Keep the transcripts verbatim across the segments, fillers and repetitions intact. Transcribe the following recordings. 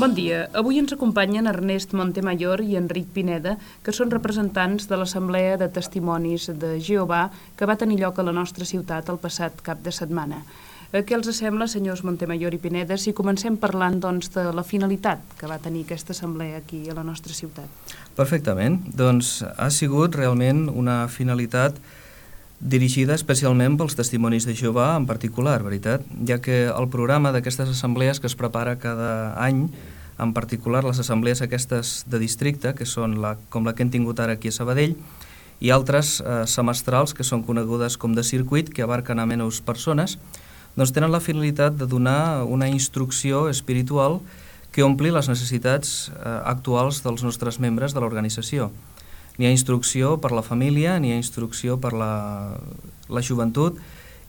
Bon dia. Avui ens acompanyen Ernest Montemayor i Enric Pineda, que són representants de l'Assemblea de Testimonis de Jehovà que va tenir lloc a la nostra ciutat el passat cap de setmana. Què els sembla, senyors Montemayor i Pineda, si comencem parlant doncs, de la finalitat que va tenir aquesta assemblea aquí a la nostra ciutat? Perfectament. Doncs ha sigut realment una finalitat dirigida especialment pels testimonis de Jehovà en particular, veritat? Ja que el programa d'aquestes assemblees que es prepara cada any, en particular les assemblees aquestes de districte, que són la, com la que hem tingut ara aquí a Sabadell, i altres eh, semestrals que són conegudes com de circuit, que abarquen a menys persones, doncs tenen la finalitat de donar una instrucció espiritual que ompli les necessitats eh, actuals dels nostres membres de l'organització. N'hi ha instrucció per la família, n'hi ha instrucció per la, la joventut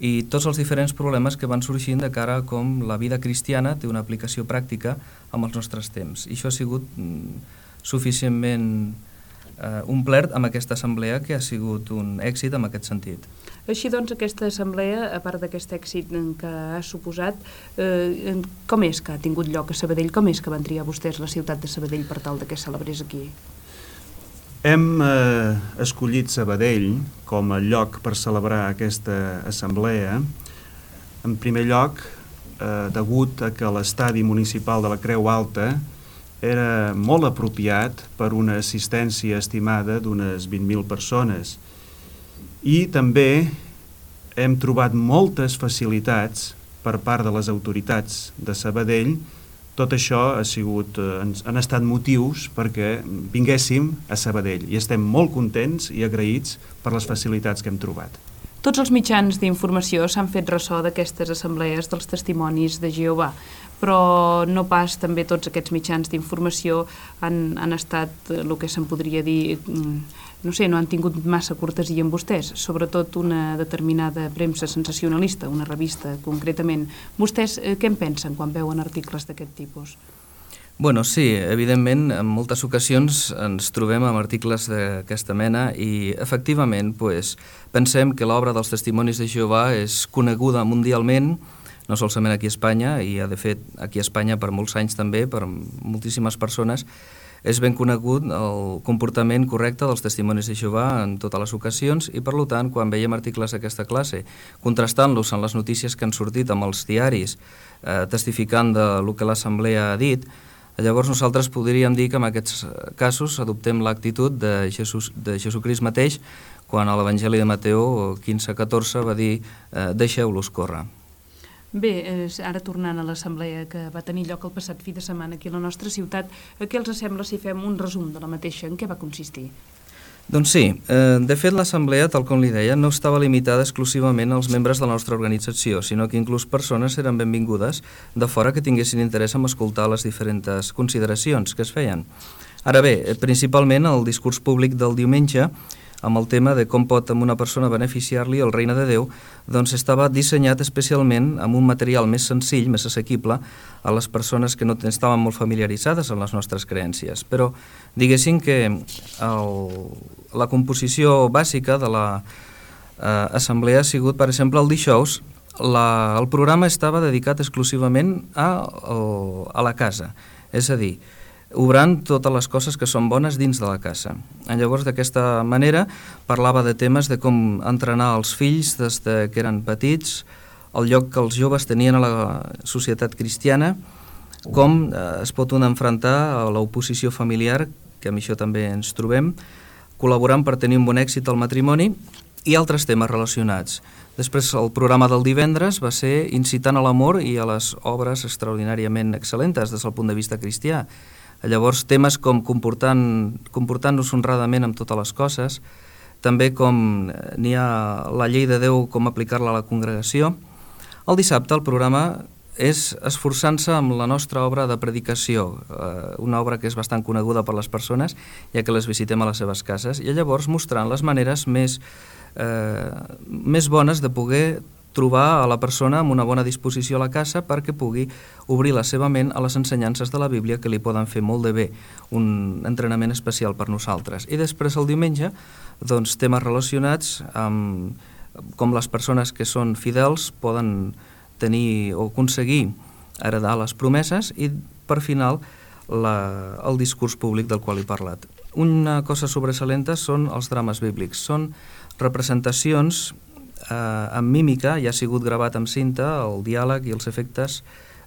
i tots els diferents problemes que van sorgint de cara a com la vida cristiana té una aplicació pràctica amb els nostres temps. I això ha sigut mm, suficientment eh, omplert amb aquesta assemblea, que ha sigut un èxit en aquest sentit. Així doncs, aquesta assemblea, a part d'aquest èxit que ha suposat, eh, com és que ha tingut lloc a Sabadell? Com és que van triar vostès la ciutat de Sabadell per tal de que es celebrés aquí? Hem eh, escollit Sabadell com a lloc per celebrar aquesta assemblea, en primer lloc, eh, degut a que l'estadi municipal de la Creu Alta era molt apropiat per una assistència estimada d'unes vint mil persones. I també hem trobat moltes facilitats per part de les autoritats de Sabadell. Tot això ha sigut, han estat motius perquè vinguéssim a Sabadell i estem molt contents i agraïts per les facilitats que hem trobat. Tots els mitjans d'informació s'han fet ressò d'aquestes assemblees dels testimonis de Jehovà, però no pas també tots aquests mitjans d'informació han, han estat el que se'n podria dir, no sé, no han tingut massa cortesia amb vostès, sobretot una determinada premsa sensacionalista, una revista concretament. Vostès què en pensen quan veuen articles d'aquest tipus? Bueno, sí, evidentment, en moltes ocasions ens trobem amb articles d'aquesta mena i, efectivament, pues, pensem que l'obra dels testimonis de Jehovà és coneguda mundialment, no solament aquí a Espanya, i de fet aquí a Espanya per molts anys també, per moltíssimes persones, és ben conegut el comportament correcte dels testimonis de Jehovà en totes les ocasions i, per tant, quan veiem articles d'aquesta classe, contrastant-los amb les notícies que han sortit amb els diaris, eh, testificant de lo que l'Assemblea ha dit, llavors nosaltres podríem dir que en aquests casos adoptem l'actitud de, Jesús, de Jesucrist mateix quan a l'Evangeli de Mateu quinze catorze va dir eh, deixeu-los córrer. Bé, ara tornant a l'assemblea que va tenir lloc el passat fi de setmana aquí a la nostra ciutat, què els sembla si fem un resum de la mateixa? En què va consistir? Doncs sí, eh, de fet l'assemblea, tal com li deia, no estava limitada exclusivament als membres de la nostra organització, sinó que inclús persones eren benvingudes de fora que tinguessin interès en escoltar les diferents consideracions que es feien. Ara bé, principalment el discurs públic del diumenge, amb el tema de com pot una persona beneficiar-li el regne de Déu, doncs estava dissenyat especialment amb un material més senzill, més assequible a les persones que no estaven molt familiaritzades amb les nostres creences. Però diguéssim que el, la composició bàsica de l'assemblea ha sigut, per exemple, el dijous, la, el programa estava dedicat exclusivament a, a la casa, és a dir, obrant totes les coses que són bones dins de la casa. Llavors, d'aquesta manera, parlava de temes de com entrenar els fills des de que eren petits, el lloc que els joves tenien a la societat cristiana, com es pot un enfrontar a l'oposició familiar, que amb això també ens trobem, col·laborant per tenir un bon èxit al matrimoni i altres temes relacionats. Després, el programa del divendres va ser incitant a l'amor i a les obres extraordinàriament excel·lentes des del punt de vista cristià. Llavors, temes com comportant, comportant-nos honradament amb totes les coses, també com n'hi ha la llei de Déu, com aplicar-la a la congregació. El dissabte el programa és esforçant-se amb la nostra obra de predicació, eh, una obra que és bastant coneguda per les persones, ja que les visitem a les seves cases, i llavors mostrant les maneres més, eh, més bones de poder trobar a la persona amb una bona disposició a la casa perquè pugui obrir la seva ment a les ensenyances de la Bíblia que li poden fer molt de bé, un entrenament especial per nosaltres. I després el diumenge, doncs, temes relacionats amb com les persones que són fidels poden tenir o aconseguir heredar les promeses i per final la, el discurs públic del qual he parlat. Una cosa sobresalenta són els drames bíblics. Són representacions eh, amb mímica, ja ha sigut gravat amb cinta, el diàleg i els efectes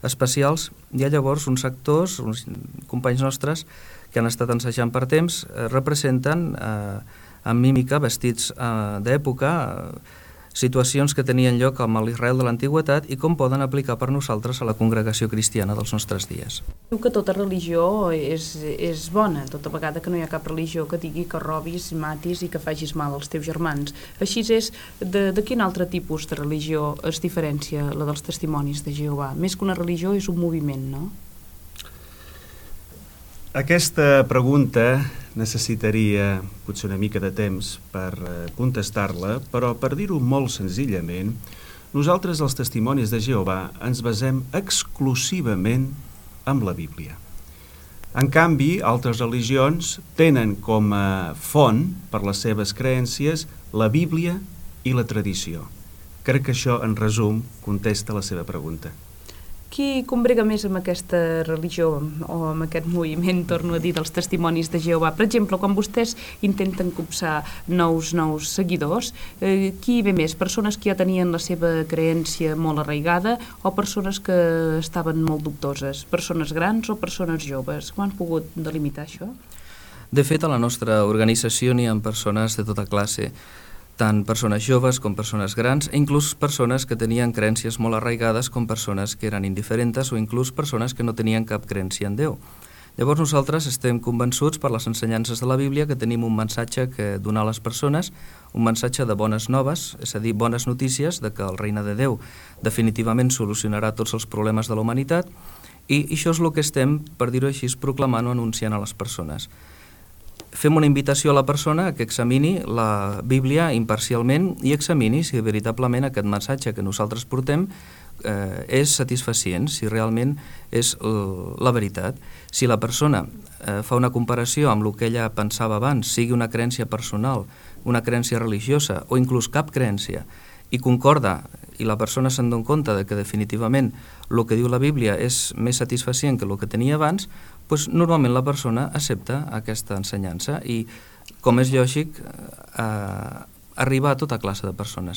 especials. Hi ha llavors uns actors, uns companys nostres, que han estat ensajant per temps, eh, representen eh, amb mímica, vestits eh, d'època, eh, situacions que tenien lloc amb l'Israel de l'Antigüitat i com poden aplicar per nosaltres a la congregació cristiana dels nostres dies. Diu que tota religió és, és bona, tota vegada que no hi ha cap religió que digui que robis, matis i que facis mal als teus germans. Així és, de, de quin altre tipus de religió es diferencia la dels testimonis de Jehovà? Més que una religió és un moviment, no? Aquesta pregunta necessitaria potser una mica de temps per contestar-la, però per dir-ho molt senzillament, nosaltres els testimonis de Jehovà ens basem exclusivament en la Bíblia. En canvi, altres religions tenen com a font per les seves creences la Bíblia i la tradició. Crec que això, en resum, contesta la seva pregunta. Qui combrega més amb aquesta religió o amb aquest moviment, torno a dir, dels testimonis de Jehovà? Per exemple, quan vostès intenten copsar nous, nous seguidors, eh, qui ve més? Persones que ja tenien la seva creència molt arraigada o persones que estaven molt dubtoses? Persones grans o persones joves? Com han pogut delimitar això? De fet, a la nostra organització n'hi ha persones de tota classe, tant persones joves com persones grans, e inclús persones que tenien creences molt arraigades com persones que eren indiferents o inclús persones que no tenien cap creencia en Déu. Llavors nosaltres estem convençuts per les ensenyances de la Bíblia que tenim un missatge que donar a les persones, un missatge de bones noves, és a dir, bones notícies de que el regne de Déu definitivament solucionarà tots els problemes de la humanitat, i això és el que estem, per dir-ho així, proclamant o anunciant a les persones. Fem una invitació a la persona que examini la Bíblia imparcialment i examini si veritablement aquest missatge que nosaltres portem eh, és satisfacient, si realment és la veritat. Si la persona eh, fa una comparació amb el que ella pensava abans, sigui una creencia personal, una creencia religiosa o inclús cap creencia, i concorda, i la persona se'n dona compte de que definitivament el que diu la Bíblia és més satisfacient que el que tenia abans, doncs normalment la persona accepta aquesta ensenyança i, com és lògic, eh, arriba a tota classe de persones.